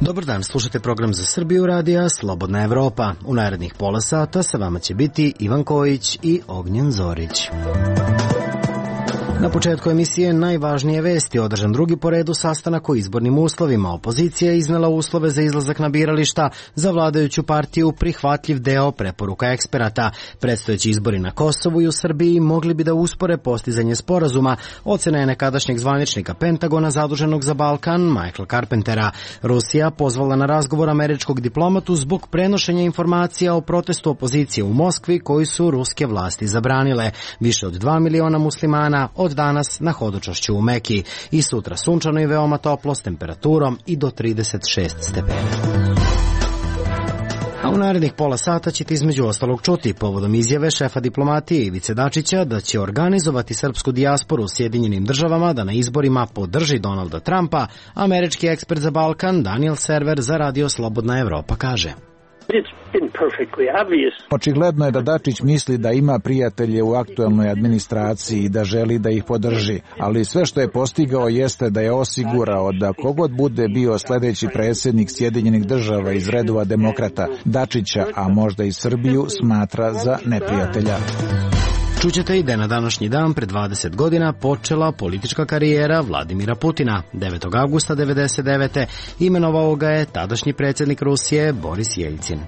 Dobar dan, slušate program za Srbiju radija Slobodna Evropa. U narednih pola sata sa vama će biti Ivan Kojić i Ognjen Zorić. Na početku emisije najvažnije vesti. Održan drugi po redu sastanak o izbornim uslovima. Opozicija je iznela uslove za izlazak na birališta, za vladajuću partiju prihvatljiv deo preporuka eksperata. Predstojeći izbori na Kosovu i u Srbiji mogli bi da uspore postizanje sporazuma, ocena je nekadašnjeg zvaničnika Pentagona zaduženog za Balkan, Michael Carpentera. Rusija pozvala na razgovor američkog diplomatu zbog prenošenja informacija o protestu opozicije u Moskvi koji su ruske vlasti zabranile. Više od 2 miliona muslimana od danas na hodočašću u Meki i sutra sunčano i veoma toplo s temperaturom i do 36 stepeni. A u narednih pola sata ćete između ostalog čuti povodom izjave šefa diplomatije Ivice Dačića da će organizovati srpsku dijasporu u Sjedinjenim državama da na izborima podrži Donalda Trumpa. Američki ekspert za Balkan Daniel Server za Radio Slobodna Evropa kaže: Očigledno je da Dačić misli da ima prijatelje u aktuelnoj administraciji i da želi da ih podrži, ali sve što je postigao jeste da je osigurao da kogod bude bio sledeći predsjednik Sjedinjenih država iz redova demokrata, Dačića, a možda i Srbiju, smatra za neprijatelja. Čućete i da je na današnji dan pred 20 godina počela politička karijera Vladimira Putina. 9. augusta 1999. imenovao ga je tadašnji predsjednik Rusije Boris Jeljcin.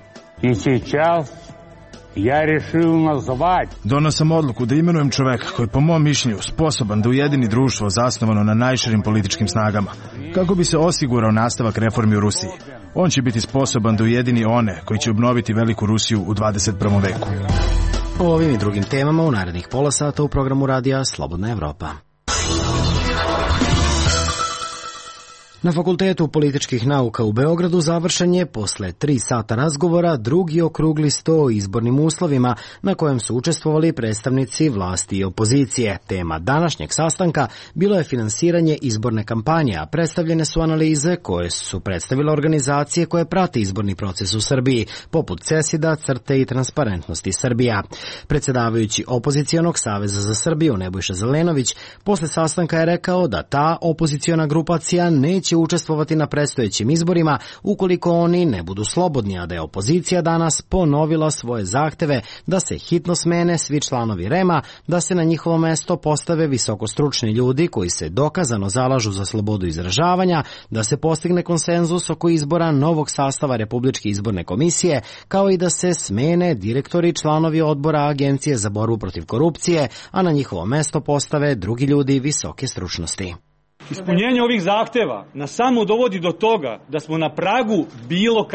Donao sam odluku da imenujem čoveka koji po mom mišljenju sposoban da ujedini društvo zasnovano na najširim političkim snagama, kako bi se osigurao nastavak reformi u Rusiji. On će biti sposoban da ujedini one koji će obnoviti veliku Rusiju u 21. veku. O ovim i drugim temama u narednih pola sata u programu radija Slobodna Evropa. Na Fakultetu političkih nauka u Beogradu završen je posle 3 sata razgovora drugi okrugli sto o izbornim uslovima na kojem su učestvovali predstavnici vlasti i opozicije. Tema današnjeg sastanka bilo je finansiranje izborne kampanje, a predstavljene su analize koje su predstavile organizacije koje prate izborni proces u Srbiji, poput CESID-a, CRTE i Transparentnosti Srbija. Predsjedavajući Opozicionog saveza za Srbiju Nebojša Zelenović posle sastanka je rekao da ta opoziciona grupacija neće učestvovati na predstojećim izborima ukoliko oni ne budu slobodni, a da je opozicija danas ponovila svoje zahteve da se hitno smene svi članovi REM-a, da se na njihovo mesto postave visokostručni ljudi koji se dokazano zalažu za slobodu izražavanja, da se postigne konsenzus oko izbora novog sastava Republičke izborne komisije, kao i da se smene direktori i članovi odbora Agencije za borbu protiv korupcije, a na njihovo mesto postave drugi ljudi visoke stručnosti. Ispunjenje ovih zahteva nas samo dovodi do toga da smo na pragu bilo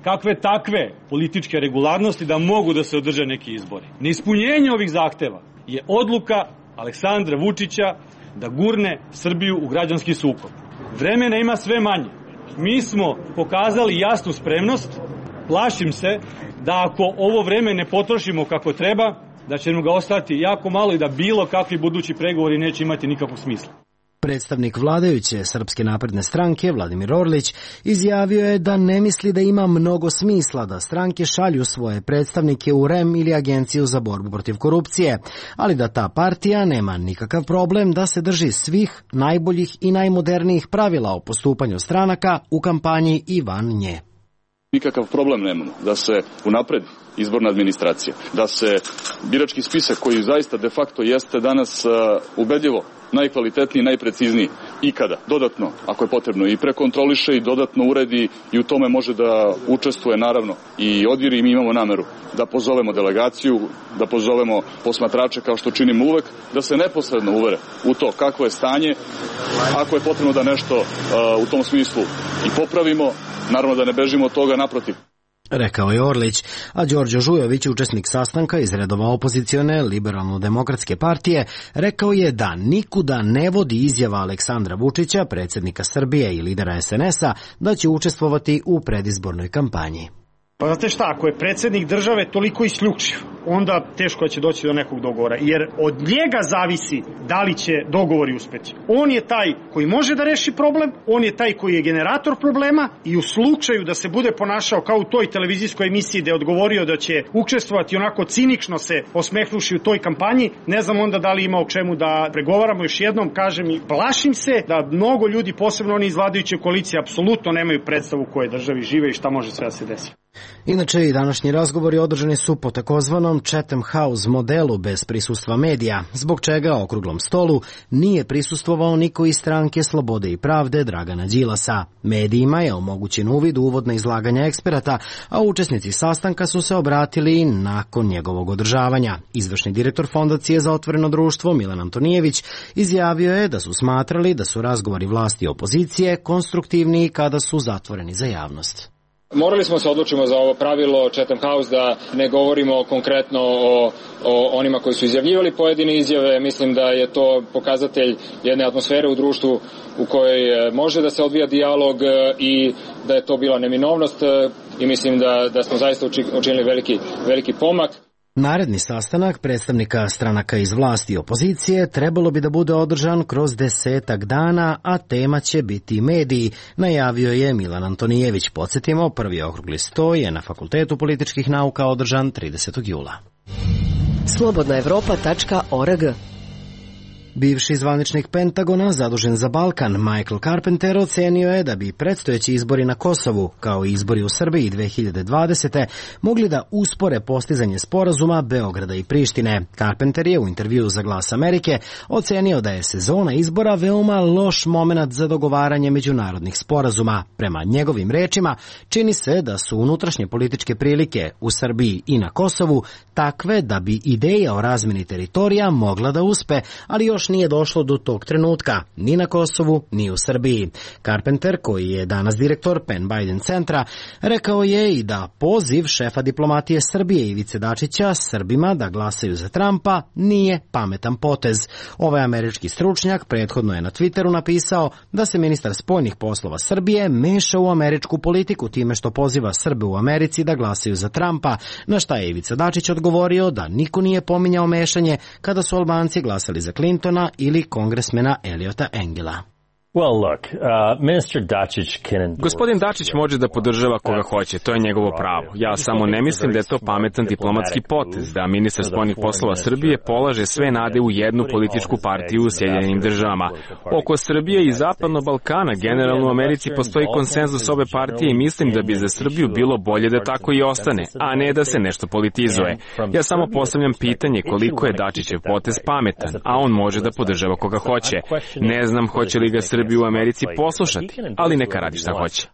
kakve takve političke regularnosti da mogu da se održe neki izbori. Neispunjenje ovih zahteva je odluka Aleksandra Vučića da gurne Srbiju u građanski sukob. Vremena ima sve manje. Mi smo pokazali jasnu spremnost. Plašim se da ako ovo vreme ne potrošimo kako treba, da će nam ga ostati jako malo i da bilo kakvi budući pregovori neće imati nikakvog smisla. Predstavnik vladajuće Srpske napredne stranke Vladimir Orlić izjavio je da ne misli da ima mnogo smisla da stranke šalju svoje predstavnike u REM ili Agenciju za borbu protiv korupcije, ali da ta partija nema nikakav problem da se drži svih najboljih i najmodernijih pravila o postupanju stranaka u kampanji i van nje. Nikakav problem nemamo da se unapredi izborna administracija, da se birački spisak koji zaista de facto jeste danas ubedljivo najkvalitetniji, najprecizniji ikada, dodatno, ako je potrebno, i prekontroliše i dodatno uredi i u tome može da učestvuje naravno i odviri. Mi imamo nameru da pozovemo delegaciju, da pozovemo posmatrače kao što činimo uvek, da se neposredno uvere u to kakvo je stanje, ako je potrebno da nešto u tom smislu i popravimo, naravno da ne bežimo od toga, naprotiv. Rekao je Orlić, a Đorđe Žujović, učesnik sastanka iz redova opozicione Liberalno-demokratske partije, rekao je da nikuda ne vodi izjava Aleksandra Vučića, predsjednika Srbije i lidera SNS-a, da će učestvovati u predizbornoj kampanji. Pa znate šta, ako je predsjednik države toliko isključiv, onda teško će doći do nekog dogovora, jer od njega zavisi da li će dogovori uspeti. On je taj koji može da reši problem, on je taj koji je generator problema i u slučaju da se bude ponašao kao u toj televizijskoj emisiji gde je odgovorio da će učestvovati onako cinično se osmehnuši u toj kampanji, ne znam onda da li ima o čemu da pregovaramo. Još jednom kažem i plašim se da mnogo ljudi, posebno oni iz vladajuće koalicije, apsolutno nemaju predstavu u kojoj državi žive i šta može sve da se desi. Inače, i današnji razgovori održani su po takozvanom Chatham House modelu bez prisustva medija, zbog čega okruglom stolu nije prisustvovao niko iz stranke Slobode i pravde Dragana Đilasa. Medijima je omogućen uvid u uvodna izlaganja eksperata, a učesnici sastanka su se obratili nakon njegovog održavanja. Izvršni direktor Fondacije za otvoreno društvo Milan Antonijević izjavio je da su smatrali da su razgovori vlasti i opozicije konstruktivniji kada su zatvoreni za javnost. Morali smo se odlučimo za ovo pravilo Chatham House da ne govorimo konkretno o onima koji su izjavljivali pojedine izjave. Mislim da je to pokazatelj jedne atmosfere u društvu u kojoj može da se odvija dijalog i da je to bila neminovnost i mislim da smo zaista učinili veliki pomak. Naredni sastanak predstavnika stranaka iz vlasti i opozicije trebalo bi da bude održan kroz 10 dana, a tema će biti mediji, najavio je Milan Antonijević. Podsjetimo, prvi okrugli sto je na Fakultetu političkih nauka održan 30. jula. Slobodnaevropa.org. Bivši zvaničnik Pentagona zadužen za Balkan Michael Carpenter ocenio je da bi predstojeći izbori na Kosovu, kao i izbori u Srbiji 2020. mogli da uspore postizanje sporazuma Beograda i Prištine. Carpenter je u intervjuu za Glas Amerike ocenio da je sezona izbora veoma loš momenat za dogovaranje međunarodnih sporazuma. Prema njegovim rečima, čini se da su unutrašnje političke prilike u Srbiji i na Kosovu takve da bi ideja o razmeni teritorija mogla da uspe, ali još nije došlo do tog trenutka, ni na Kosovu, ni u Srbiji. Carpenter, koji je danas direktor Penn Biden centra, rekao je i da poziv šefa diplomatije Srbije Ivice Dačića Srbima da glasaju za Trumpa nije pametan potez. Ovaj američki stručnjak prethodno je na Twitteru napisao da se ministar spoljnih poslova Srbije meša u američku politiku time što poziva Srbe u Americi da glasaju za Trumpa, na šta je Ivica Dačić odgovorio da niko nije pominjao mešanje kada su Albanci glasali za Clintona ili kongresmena Eliota Engela. Gospodin Dačić može da podržava koga hoće, to je njegovo pravo. Ja samo ne mislim da je to pametan diplomatski potez, da ministar spoljnih poslova Srbije polaže sve nade u jednu političku partiju u Sjedinjenim državama. Oko Srbije i Zapadnog Balkana generalno u Americi postoji konsenzus ove partije i mislim da bi za Srbiju bilo bolje da tako i ostane, a ne da se nešto politizuje. Ja samo postavljam pitanje koliko je Dačićev potez pametan, a on može da podržava koga hoće. Ne znam hoće li ga Srbiju u Americi poslušati, ali neka radi šta hoće.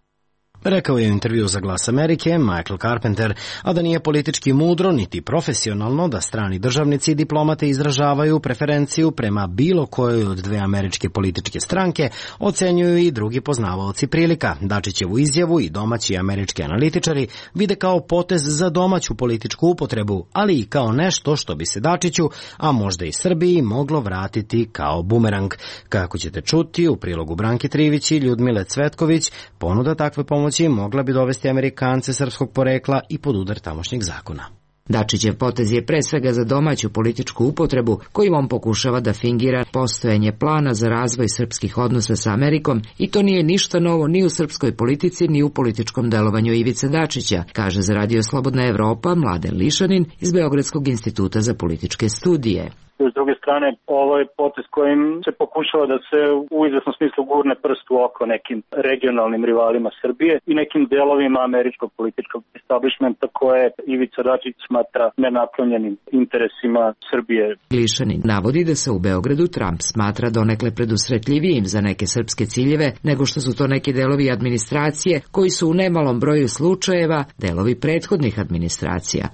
Rekao je u intervju za Glas Amerike Michael Carpenter, a da nije politički mudro niti profesionalno da strani državnici i diplomate izražavaju preferenciju prema bilo kojoj od dve američke političke stranke, ocenjuju i drugi poznavaoci prilika. Dačićevu izjavu i domaći američki analitičari vide kao potez za domaću političku upotrebu, ali i kao nešto što bi se Dačiću, a možda i Srbiji, moglo vratiti kao bumerang. Kako ćete čuti u prilogu Branke Trivić i Ljudmile Cvetković, ponuda takve pomoći mogla bi dovesti Amerikance srpskog porekla i pod udar tamošnjeg zakona. Dačićev potez je pre svega za domaću političku upotrebu, kojim on pokušava da fingira postojanje plana za razvoj srpskih odnosa sa Amerikom, i to nije ništa novo ni u srpskoj politici ni u političkom delovanju Ivice Dačića, kaže za Radio Slobodna Evropa Mladen Lišanin iz Beogradskog instituta za političke studije. S druge strane, ovo je potez kojim se pokušava da se u izvesnom smislu gurne prst u oko nekim regionalnim rivalima Srbije i nekim delovima američkog političkog establishmenta koje Ivica Dačić smatra nenaklonjenim interesima Srbije. Lišanin navodi da se u Beogradu Trump smatra donekle predusretljivijim za neke srpske ciljeve nego što su to neki delovi administracije koji su u nemalom broju slučajeva delovi prethodnih administracija.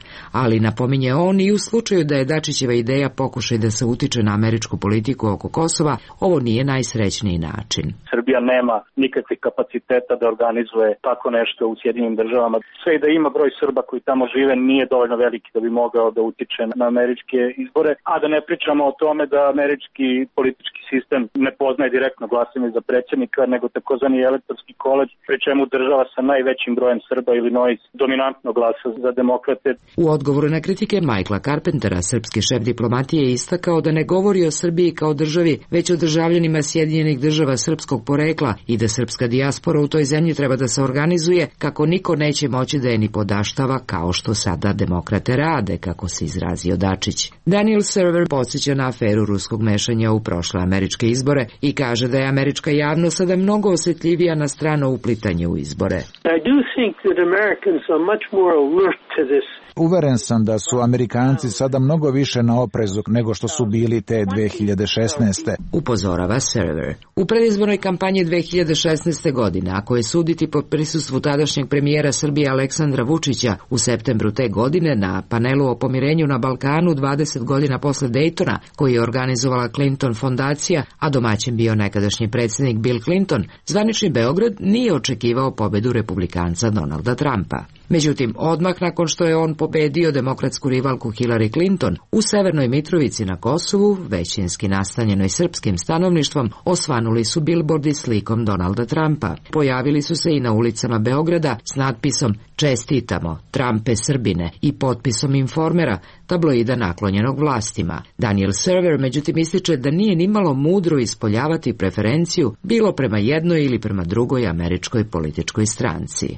Ali napominje on i u slučaju da je Dačićeva ideja pokušaj da se utiče na američku politiku oko Kosova, ovo nije najsrećniji način. Srbija nema nikakvih kapaciteta da organizuje tako nešto u Sjedinjenim državama. Sve i da ima broj Srba koji tamo žive nije dovoljno veliki da bi mogao da utiče na američke izbore, a da ne pričamo o tome da američki politički sistem ne poznaje direktno glasanje za predsjednika, nego takozvani elektorski koleđ, pri čemu država sa najvećim brojem Srba Illinois dominantno glasa za demokrate. U odgovoru na kritike Michaela Carpentera, srpski šef diplomatije je istakao da ne govori o Srbiji kao državi, već o državljanima Sjedinjenih država srpskog porekla i da srpska dijaspora u toj zemlji treba da se organizuje kako niko neće moći da je ni podaštava kao što sada demokrate rade, kako se izrazio Dačić. Daniel Server podsjeća na aferu ruskog mešanja u prošle američke izbore i kaže da je američka javnost sada mnogo osjetljivija na strano uplitanje u izbore. I do think that Americans are much more alert to this. Uveren sam da su Amerikanci sada mnogo više na oprezu nego što su bili te 2016. Upozorava Server. U predizbornoj kampanji 2016. godine, ako je suditi po prisustvu tadašnjeg premijera Srbije Aleksandra Vučića u septembru te godine na panelu o pomirenju na Balkanu 20 godina posle Daytona, koji je organizovala Clinton fondacija, a domaćin bio nekadašnji predsjednik Bill Clinton, zvanični Beograd nije očekivao pobedu republikanca Donalda Trumpa. Međutim, odmah nakon što je on pobedio demokratsku rivalku Hillary Clinton, u Severnoj Mitrovici na Kosovu, većinski nastanjenoj srpskim stanovništvom, osvanuli su bilbordi slikom Donalda Trumpa. Pojavili su se i na ulicama Beograda s natpisom "Čestitamo, Trumpe Srbine" i potpisom Informera, tabloida naklonjenog vlastima. Daniel Server međutim ističe da nije nimalo mudro ispoljavati preferenciju bilo prema jednoj ili prema drugoj američkoj političkoj stranci.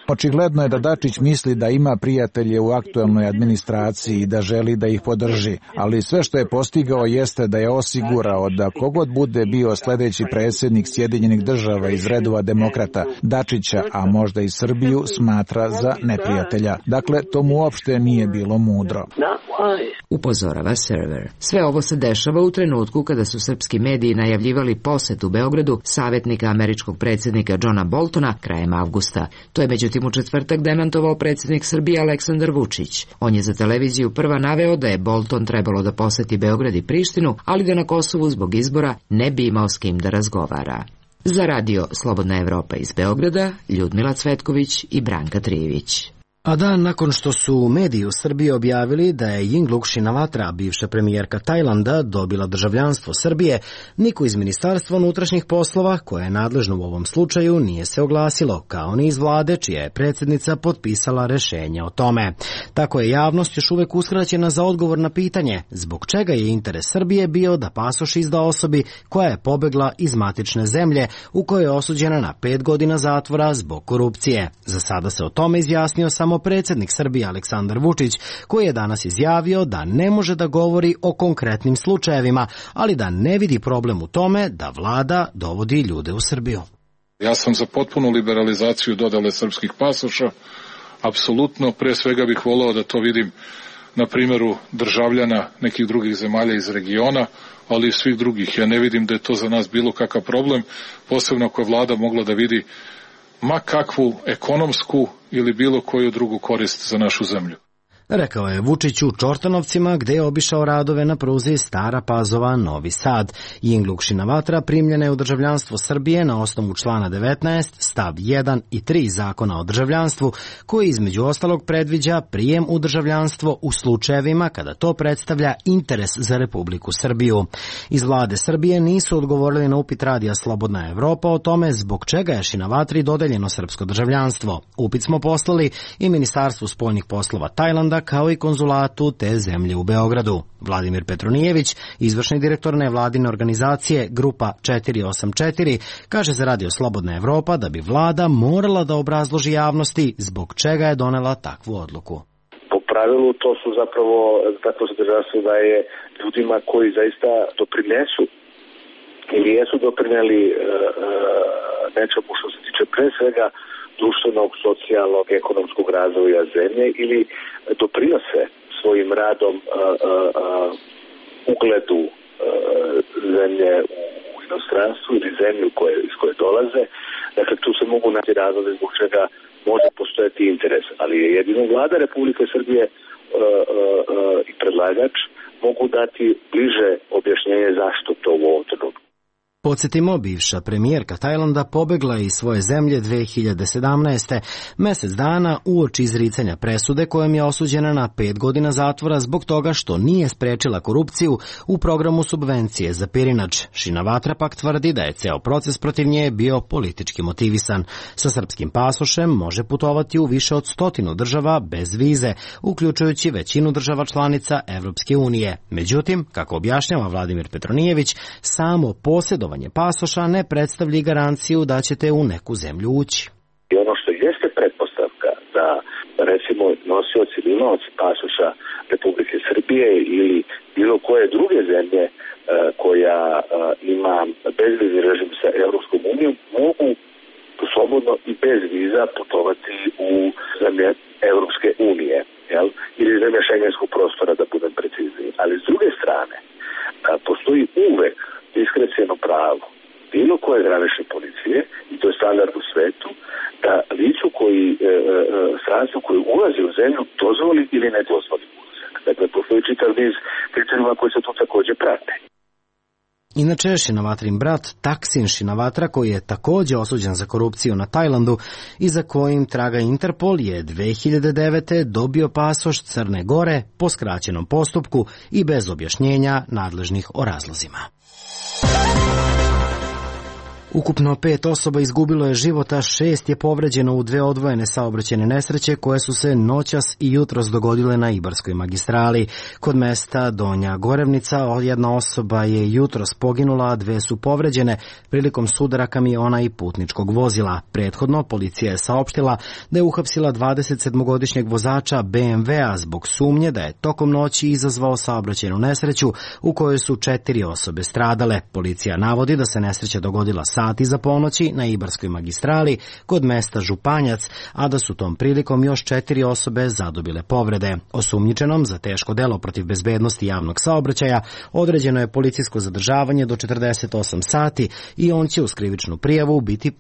Očigledno je da Dačić misli da ima prijatelje u aktuelnoj administraciji i da želi da ih podrži, ali sve što je postigao jeste da je osigurao da kogod bude bio sledeći predsjednik Sjedinjenih država iz redova demokrata, Dačića, a možda i Srbiju, smatra za neprijatelja. Dakle, to mu uopšte nije bilo mudro. Upozorava Server. Sve ovo se dešava u trenutku kada su srpski mediji najavljivali posetu Beogradu savjetnika američkog predsjednika Johna Boltona krajem avgusta. To je međutim u četvrtak demantovao predsjednik Srbije Aleksandar Vučić. On je za televiziju prva naveo da je Bolton trebalo da poseti Beograd i Prištinu, ali da na Kosovu zbog izbora ne bi imao s kim da razgovara. Za radio Slobodna Evropa iz Beograda, Ljudmila Cvetković i Branka Trijević. A dan nakon što su mediji u Srbiji objavili da je Yingluck Shinawatra, bivša premijerka Tajlanda, dobila državljanstvo Srbije, niko iz Ministarstva unutrašnjih poslova, koje je nadležno u ovom slučaju, nije se oglasilo, kao ni iz vlade, čija je predsjednica potpisala rešenje o tome. Tako je javnost još uvek uskraćena za odgovor na pitanje zbog čega je interes Srbije bio da pasoš izda osobi koja je pobegla iz matične zemlje u kojoj je osuđena na 5 godina zatvora zbog korupcije. Za sada se o tome izjasnio samo predsjednik Srbije Aleksandar Vučić, koji je danas izjavio da ne može da govori o konkretnim slučajevima, ali da ne vidi problem u tome da vlada dovodi ljude u Srbiju. Ja sam za potpunu liberalizaciju dodale srpskih pasoša. Apsolutno, pre svega bih voleo da to vidim na primjeru državljana nekih drugih zemalja iz regiona, ali i svih drugih. Ja ne vidim da je to za nas bilo kakav problem, posebno ako je vlada mogla da vidi ma kakvu ekonomsku ili bilo koju drugu korist za našu zemlju. Rekao je Vučić u Čortanovcima, gde je obišao radove na pruzi Stara Pazova-Novi Sad. Yingluck Shinawatra primljena je u državljanstvo Srbije na osnovu člana 19, stav 1 i 3 Zakona o državljanstvu, koji između ostalog predviđa prijem u državljanstvo u slučajevima kada to predstavlja interes za Republiku Srbiju. Iz vlade Srbije nisu odgovorili na upit radija Slobodna Evropa o tome zbog čega je Shinawatri dodeljeno srpsko državljanstvo. Upit smo poslali i Ministarstvu spoljnih poslova Tajlanda, kao i konzulatu te zemlje u Beogradu. Vladimir Petronijević, izvršni direktor nevladine organizacije Grupa 484, kaže za radio Slobodna Evropa da bi vlada morala da obrazloži javnosti zbog čega je donela takvu odluku. Po pravilu to su zapravo tako se državstvo da je ljudima koji zaista doprinesu ili jesu doprineli nečemu što se tiče pre svega društvenog, socijalnog, ekonomskog razvoja zemlje ili doprinose svojim radom ugledu zemlje u inostranstvu ili zemlju iz koje dolaze. Dakle, tu se mogu naći razlozi zbog čega može postojati interes, ali je jedino vlada Republike Srbije i predlagač mogu dati bliže objašnjenje zašto to u ovom trenutku. Podsjetimo, bivša premijerka Tajlanda pobegla iz svoje zemlje 2017. mesec dana uoči izricanja presude kojom je osuđena na 5 godina zatvora zbog toga što nije sprečila korupciju u programu subvencije za pirinač. Shinawatra pak tvrdi da je ceo proces protiv nje bio politički motivisan. Sa srpskim pasošem može putovati u više od 100 država bez vize, uključujući većinu država članica Evropske unije. Međutim, kako objašnjava Vladimir Petronijević, samo posjedovanje pasoša ne predstavlja garanciju da ćete u neku zemlju ući. I ono što jeste pretpostavka da, recimo, nosioci ili imaoci pasoša Republike Srbije ili bilo koje druge zemlje koja ima bezvizni režim sa Evropskom unijom mogu slobodno i bez viza putovati u zemlje Evropske unije, ili zemlje šengenskog prostora, da budem precizniji. Ali s druge strane, postoji uvek diskrecijno pravo bilo koje granične policije, i to je standard u svetu, da licu strancu koji ulazi u zemlju dozvoli ili ne dozvoli ulazak. Dakle, postoji čitav niz kriterijuma koji se tu takođe prate. Inače, Shinawatrin brat Thaksin Shinawatra, koji je takođe osuđen za korupciju na Tajlandu i za kojim traga Interpol, je 2009. dobio pasoš Crne Gore po skraćenom postupku i bez objašnjenja nadležnih o razlozima. Ukupno 5 osoba izgubilo je života, 6 je povređeno u 2 odvojene saobraćajne nesreće koje su se noćas i jutros dogodile na Ibarskoj magistrali. Kod mesta Donja Gorevnica jedna osoba je jutros poginula, a 2 su povređene prilikom sudara kamiona i putničkog vozila. Prethodno policija je saopštila da je uhapsila 27-godišnjeg vozača BMW-a zbog sumnje da je tokom noći izazvao saobraćajnu nesreću u kojoj su 4 osobe stradale. Policija navodi da se nesreća dogodila sati za ponoći na Ibarskoj magistrali kod mesta Županjac, a da su tom prilikom još 4 osobe zadobile povrede. Osumnjičenom za teško delo protiv bezbednosti javnog saobraćaja određeno je policijsko zadržavanje do 48 sati i on će uz krivičnu prijavu biti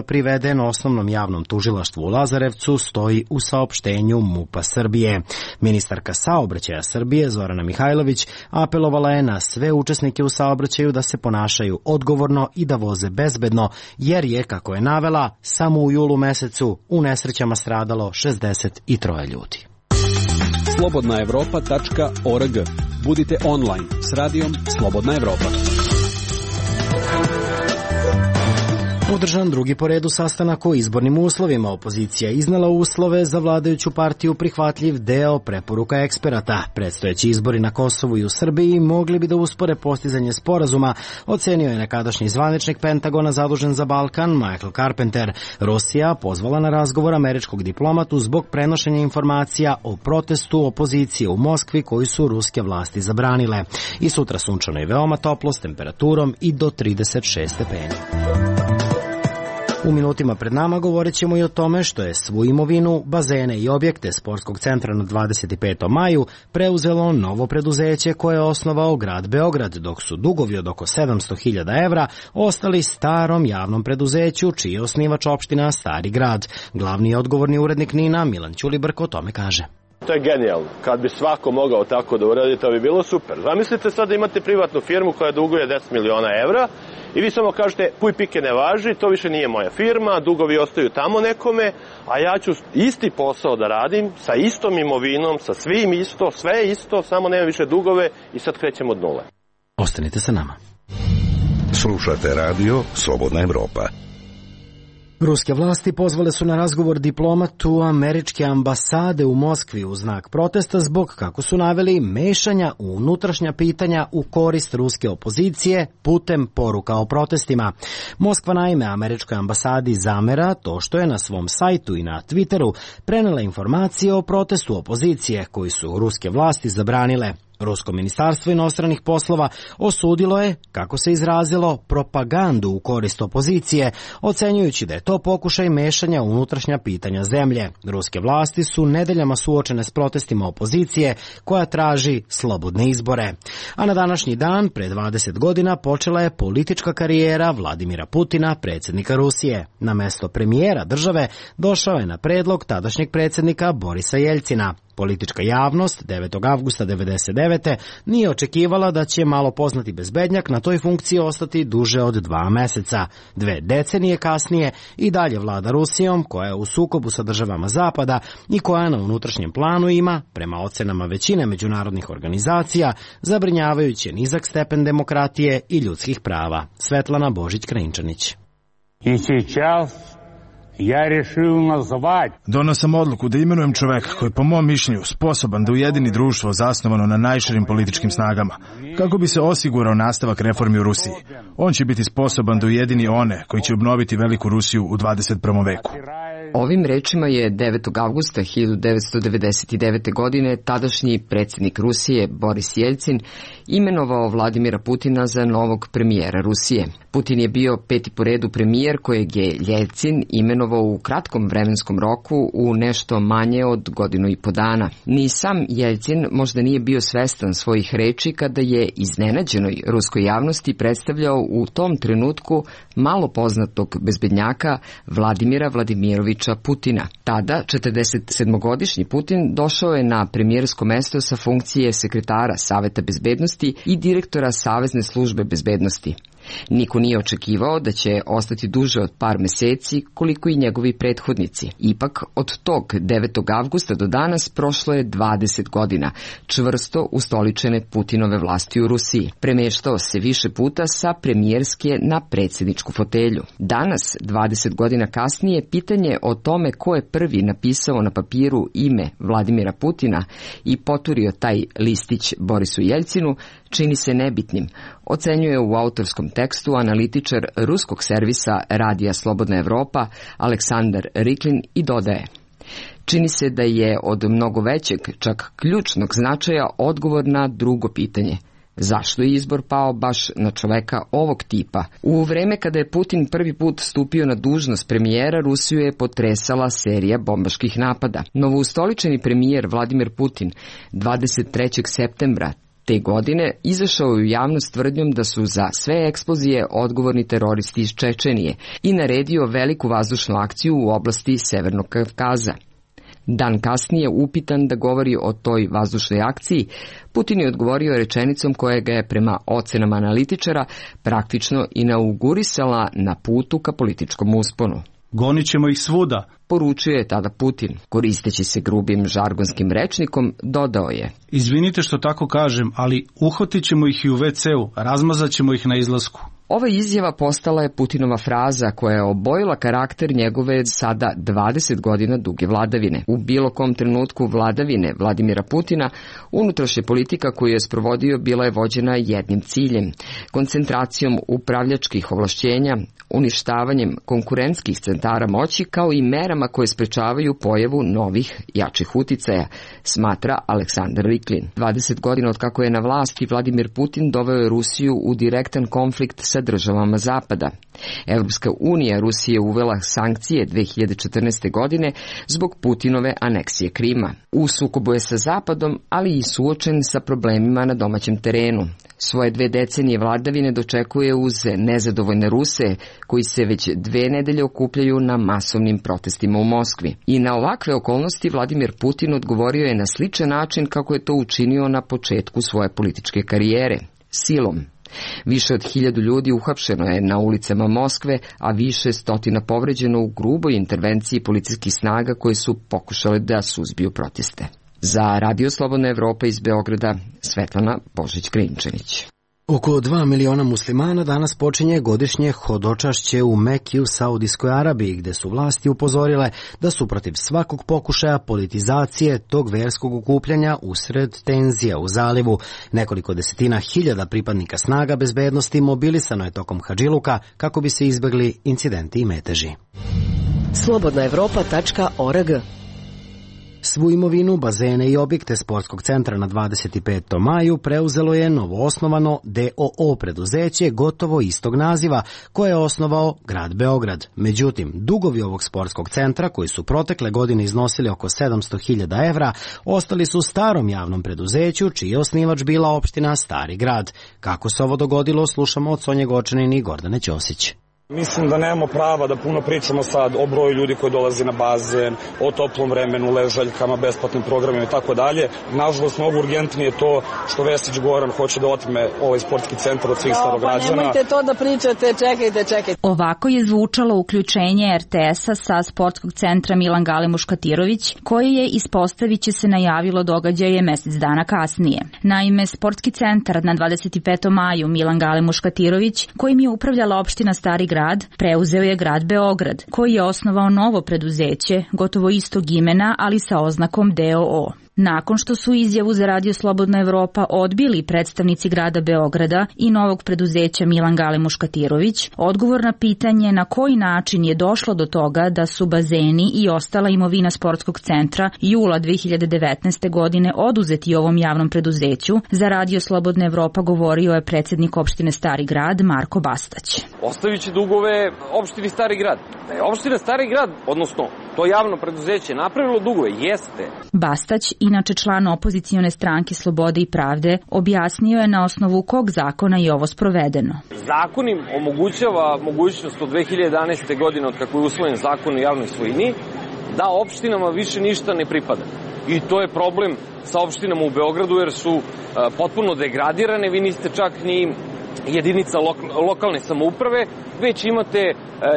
priveden Osnovnom javnom tužilaštvu u Lazarevcu, stoji u saopštenju MUP-a Srbije. Ministarka saobraćaja Srbije Zorana Mihajlović apelovala je na sve učesnike u saobraćaju da se ponašaju odgovorno i da voze bezbedno, jer je, kako je navela, samo u julu mesecu u nesrećama stradalo 63 ljudi. slobodnaevropa.org. Budite online s radijom Slobodna Evropa. Održan drugi po redu sastanak o izbornim uslovima. Opozicija je iznela uslove za vladajuću partiju prihvatljiv deo preporuka eksperata. Predstojeći izbori na Kosovu i u Srbiji mogli bi da uspore postizanje sporazuma, ocenio je nekadašnji zvaničnik Pentagona zadužen za Balkan Michael Carpenter. Rusija pozvala na razgovor američkog diplomatu zbog prenošenja informacija o protestu opozicije u Moskvi koji su ruske vlasti zabranile. I sutra sunčano i veoma toplo s temperaturom i do 36 stepeni. U minutima pred nama govorit ćemo i o tome što je svu imovinu, bazene i objekte sportskog centra na 25. maju preuzelo novo preduzeće koje je osnovao grad Beograd, dok su dugovi od oko 700.000 evra ostali starom javnom preduzeću čiji je osnivač opština Stari grad. Glavni odgovorni urednik NIN-a Milan Ćulibrk o tome kaže. To je genijalno. Kad bi svako mogao tako da uradi, to bi bilo super. Zamislite sad da imate privatnu firmu koja duguje 10 miliona evra i vi samo kažete, puj pike ne važi, to više nije moja firma, dugovi ostaju tamo nekome, a ja ću isti posao da radim sa istom imovinom, sa svim isto, sve isto, samo nema više dugove i sad krećemo od nule. Ostanite sa nama. Slušate radio Slobodna Evropa. Ruske vlasti pozvale su na razgovor diplomatu američke ambasade u Moskvi u znak protesta zbog, kako su naveli, mešanja u unutrašnja pitanja u korist ruske opozicije putem poruka o protestima. Moskva naime američkoj ambasadi zamera to što je na svom sajtu i na Twitteru prenela informacije o protestu opozicije koji su ruske vlasti zabranile. Rusko ministarstvo inostranih poslova osudilo je, kako se izrazilo, propagandu u korist opozicije, ocenjujući da je to pokušaj mešanja u unutrašnja pitanja zemlje. Ruske vlasti su nedeljama suočene s protestima opozicije koja traži slobodne izbore. A na današnji dan, pre 20 godina, počela je politička karijera Vladimira Putina, predsjednika Rusije. Na mesto premijera države došao je na predlog tadašnjeg predsjednika Borisa Jeljcina. Politička javnost 9. avgusta 1999. nije očekivala da će malo poznati bezbednjak na toj funkciji ostati duže od 2 meseca. 2 decenije kasnije i dalje vlada Rusijom, koja je u sukobu sa državama Zapada i koja na unutrašnjem planu ima, prema ocenama većine međunarodnih organizacija, zabrinjavajuće nizak stepen demokratije i ljudskih prava. Svetlana Božić-Krajinčanić. I сейчас ja решил nazvati. Donio sam odluku da imenujem čoveka koji je po mom mišljenju sposoban da ujedini društvo zasnovano na najširim političkim snagama, kako bi se osigurao nastavak reformi u Rusiji. On će biti sposoban da ujedini one koji će obnoviti veliku Rusiju u 21. veku. Ovim rečima je 9. avgusta 1999. godine tadašnji predsjednik Rusije Boris Jeljcin imenovao Vladimira Putina za novog premijera Rusije. Putin je bio 5. po redu premijer kojeg je Jeljcin imenovao u kratkom vremenskom roku u nešto manje od 1.5 godine. Ni sam Jeljcin možda nije bio svestan svojih reči kada je iznenađenoj ruskoj javnosti predstavljao u tom trenutku malo poznatog bezbednjaka Vladimira Vladimirovića Putina. Tada, 47-godišnji Putin došao je na premijersko mesto sa funkcije sekretara Saveta bezbednosti i direktora Savezne službe bezbednosti. Niko nije očekivao da će ostati duže od par meseci koliko i njegovi prethodnici. Ipak, od tog 9. avgusta do danas prošlo je 20 godina, čvrsto ustoličene Putinove vlasti u Rusiji. Premeštao se više puta sa premijerske na predsjedničku fotelju. Danas, 20 godina kasnije, pitanje o tome ko je prvi napisao na papiru ime Vladimira Putina i poturio taj listić Borisu Jeljcinu čini se nebitnim, ocenjuje u autorskom tekstu analitičar ruskog servisa Radija Slobodna Evropa Aleksandar Riklin i dodaje: čini se da je od mnogo većeg, čak ključnog značaja odgovor na drugo pitanje. Zašto je izbor pao baš na čoveka ovog tipa? U vreme kada je Putin prvi put stupio na dužnost premijera, Rusiju je potresala serija bombaških napada. Novoustoličeni premijer Vladimir Putin 23. septembra te godine izašao je u javnost tvrdnjom da su za sve eksplozije odgovorni teroristi iz Čečenije i naredio veliku vazdušnu akciju u oblasti Severnog Kavkaza. Dan kasnije, upitan da govori o toj vazdušnoj akciji, Putin je odgovorio rečenicom koja ga je prema ocenama analitičara praktično inaugurisala na putu ka političkom usponu. Gonit ćemo ih svuda, poručio je tada Putin. Koristeći se grubim žargonskim rečnikom, dodao je: izvinite što tako kažem, ali uhvatit ćemo ih i u WC-u, razmazat ćemo ih na izlasku. Ova izjava postala je Putinova fraza koja je obojila karakter njegove sada 20 godina duge vladavine. U bilo kom trenutku vladavine Vladimira Putina, unutrašnja politika koju je sprovodio bila je vođena jednim ciljem: koncentracijom upravljačkih ovlašćenja, uništavanjem konkurentskih centara moći, kao i merama koje sprečavaju pojavu novih, jačih uticaja, smatra Aleksandar Riklin. 20 godina od kako je na vlasti, Vladimir Putin doveo je Rusiju u direktan konflikt sa državama Zapada. Evropska unija Rusije uvela sankcije 2014. godine zbog Putinove aneksije Krima. U sukobu je sa Zapadom, ali i suočen sa problemima na domaćem terenu. Svoje 2 decenije vladavine dočekuje uz nezadovoljne Ruse, koji se već 2 nedelje okupljaju na masovnim protestima u Moskvi. I na ovakve okolnosti Vladimir Putin odgovorio je na sličan način kako je to učinio na početku svoje političke karijere, silom. Više od 1000 ljudi uhapšeno je na ulicama Moskve, a više stotina povređeno u gruboj intervenciji policijskih snaga koje su pokušale da suzbiju proteste. Za Radio Slobodna Evropa iz Beograda, Svetlana Božić-Krajinčanić. Oko 2 miliona muslimana danas počinje godišnje hodočašće u Meki u Saudijskoj Arabiji, gde su vlasti upozorile da su protiv svakog pokušaja politizacije tog verskog okupljanja usred tenzija u zalivu. Nekoliko desetina hiljada pripadnika snaga bezbednosti mobilisano je tokom hadžiluka kako bi se izbegli incidenti i meteži. Slobodnaevropa.org. Svu imovinu, bazene i objekte sportskog centra na 25. maju preuzelo je novoosnovano DOO preduzeće gotovo istog naziva koje je osnovao grad Beograd. Međutim, dugovi ovog sportskog centra, koji su protekle godine iznosili oko 700.000 evra, ostali su starom javnom preduzeću, čiji je osnivač bila opština Stari grad. Kako se ovo dogodilo, slušamo od Sonje Gočanin i Gordane Ćosić. Mislim da nemamo prava da puno pričamo sad o broju ljudi koji dolazi na bazen, o toplom vremenu, ležaljkama, besplatnim programima i tako dalje. Nažalost, mnogo urgentnije je to što Vesić Goran hoće da otme ovaj sportski centar od svih Starograđana. Pa nemojte to da pričate, čekajte. Ovako je zvučalo uključenje RTS-a sa sportskog centra Milan Gale Muškatirović, koje je, ispostaviće se, najavilo događaje mesec dana kasnije. Naime, sportski centar na 25. maju Milan Gale Muškatirović, kojim je upravljala opština Stari Grad, preuzeo je grad Beograd, koji je osnovao novo preduzeće, gotovo istog imena, ali sa oznakom DOO. Nakon što su izjavu za Radio Slobodna Evropa odbili predstavnici grada Beograda i novog preduzeća Milan Gale Muškatirović, odgovor na pitanje na koji način je došlo do toga da su bazeni i ostala imovina sportskog centra jula 2019. godine oduzeti ovom javnom preduzeću, za Radio Slobodna Evropa govorio je predsednik opštine Stari Grad Marko Bastać. Ostavit će dugove opštini Stari Grad. Da je opština Stari Grad, odnosno to javno preduzeće, napravilo dugove, jeste. Bastać, inače član opozicione stranke Slobode i pravde, objasnio je na osnovu kog zakona je ovo sprovedeno. Zakon im omogućava mogućnost od 2011. godine, od kako je usvojen zakon o javnoj svojini, da opštinama više ništa ne pripada. I to je problem sa opštinama u Beogradu, jer su potpuno degradirane. Vi niste čak ni jedinica lokalne samouprave, već imate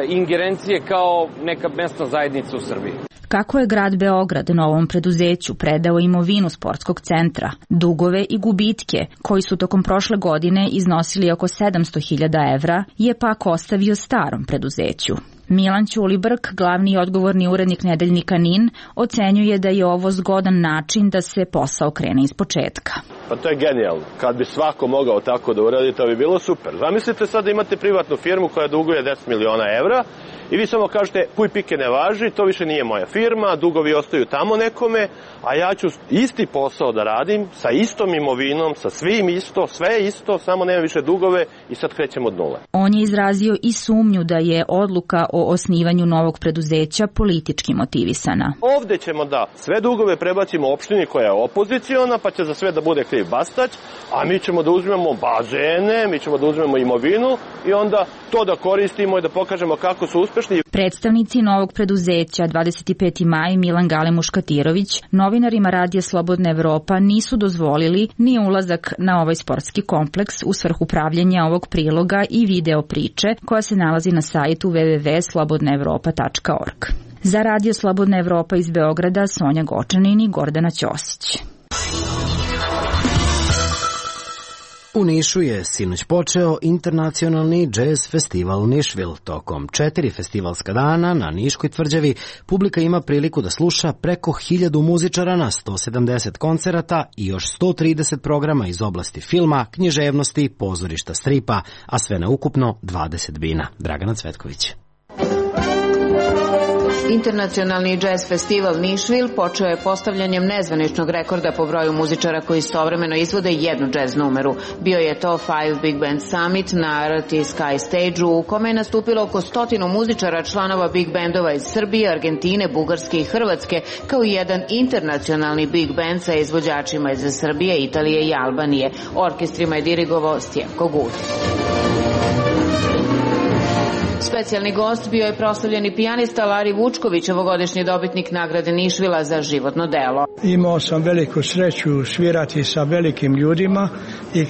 ingerencije kao neka mesna zajednica u Srbiji. Kako je grad Beograd novom preduzeću predao imovinu sportskog centra, dugove i gubitke, koji su tokom prošle godine iznosili oko 700.000 evra, je pak ostavio starom preduzeću. Milan Ćulibrk, glavni i odgovorni urednik nedeljnika NIN, ocenjuje da je ovo zgodan način da se posao krene iz početka. Pa to je genijalno. Kad bi svako mogao tako da uradi, to bi bilo super. Zamislite sad da imate privatnu firmu koja duguje 10 miliona evra i vi samo kažete, puj pike ne važi, to više nije moja firma, dugovi ostaju tamo nekome, a ja ću isti posao da radim sa istom imovinom, sa svim isto, sve isto, samo nema više dugove i sad krećemo od nule. On je izrazio i sumnju da je odluka o osnivanju novog preduzeća politički motivisana. Ovde ćemo da sve dugove prebacimo opštini koja je opoziciona, pa će za sve da bude kriv Bastać, a mi ćemo da uzmemo bazene, mi ćemo da uzmemo imovinu i onda to da koristimo i da pokažemo kako su uspešni. Predstavnici novog preduzeća 25. maj Milan Gale Muškatirović novinarima Radija Slobodna Evropa nisu dozvolili ni ulazak na ovaj sportski kompleks u svrhu pravljenja ovog priloga i video priče koja se nalazi na sajtu www.slobodnaevropa.org. Za Radio Slobodna Evropa iz Beograda Sonja Gočanin i Gordana Ćosić. U Nišu je sinoć počeo internacionalni džez festival Nišvil. Tokom 4 festivalska dana na Niškoj tvrđavi publika ima priliku da sluša preko 1000 muzičara na 170 koncerata i još 130 programa iz oblasti filma, književnosti, pozorišta, stripa, a sve na ukupno 20 bina. Dragana Cvetković. Internacionalni džez festival Nišvil počeo je postavljanjem nezvaničnog rekorda po broju muzičara koji istovremeno izvode jednu džez numeru. Bio je to Five Big Band Summit na RT Sky Stage-u u kome je nastupilo oko 100 muzičara članova big bandova iz Srbije, Argentine, Bugarske i Hrvatske, kao i jedan internacionalni big band sa izvođačima iz Srbije, Italije i Albanije. Orkestrima je dirigovao Stjepko Gudić. Specijalni gost bio je proslavljeni pijanista Lari Vučković, ovogodišnji dobitnik nagrade Nišvila za životno delo. Imao sam veliku sreću svirati sa velikim ljudima i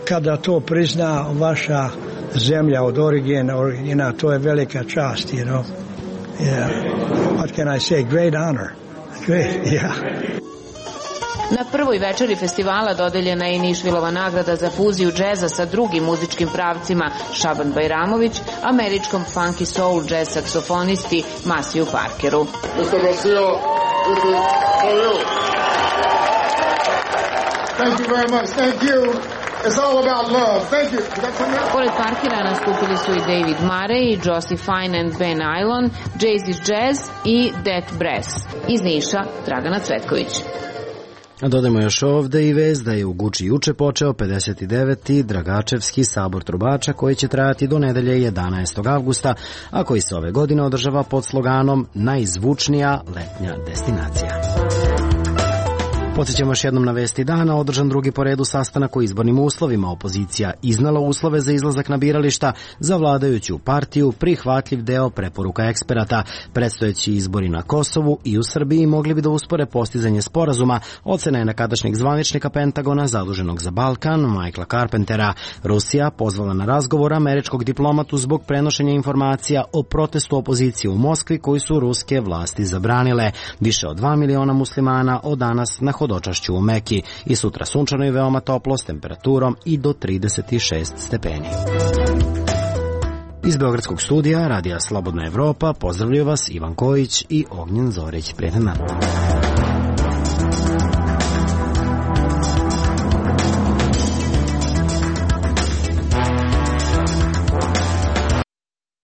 kada to prizna vaša zemlja od origina, to je velika čast, you know. Yeah. What can I say? Great honor. Great, yeah. Na prvoj večeri festivala dodeljena je i Nišvilova nagrada za fuziju džeza sa drugim muzičkim pravcima Šaban Bajramović, američkom funky soul jazz saksofonisti Masiju Parkeru. Mr. Garcia, this is for you. Thank you very much. Thank you. It's all about love. Thank you. Pored Parkera nastupili su i David Murray, Josie Fine and Ben Ailon, Jay's Jazz i Death Brass. Iz Niša, Dragana Cvetković. A dodajmo još ovde i vez da je u Guči juče počeo 59. Dragačevski sabor trubača koji će trajati do nedelje 11. avgusta, a koji se ove godine održava pod sloganom Najzvučnija letnja destinacija. Podsjećamo još jednom na vesti dana, održan drugi po redu sastanak o izbornim uslovima. Opozicija iznala uslove za izlazak na birališta, za vladajuću partiju prihvatljiv deo preporuka eksperata. Predstojeći izbori na Kosovu i u Srbiji mogli bi da uspore postizanje sporazuma, ocena je nekadašnjeg zvaničnika Pentagona zaduženog za Balkan, Michaela Carpentera. Rusija pozvala na razgovor američkog diplomatu zbog prenošenja informacija o protestu opozicije u Moskvi koji su ruske vlasti zabranile. Više od 2 miliona muslimana od danas na hodočašću u Meki i sutra sunčano i veoma toplo s temperaturom i do 36 stepeni. Iz Beogradskog studija Radija Slobodna Evropa pozdravljaju vas Ivan Kojić i Ognjen Zorić. Prijetan dan.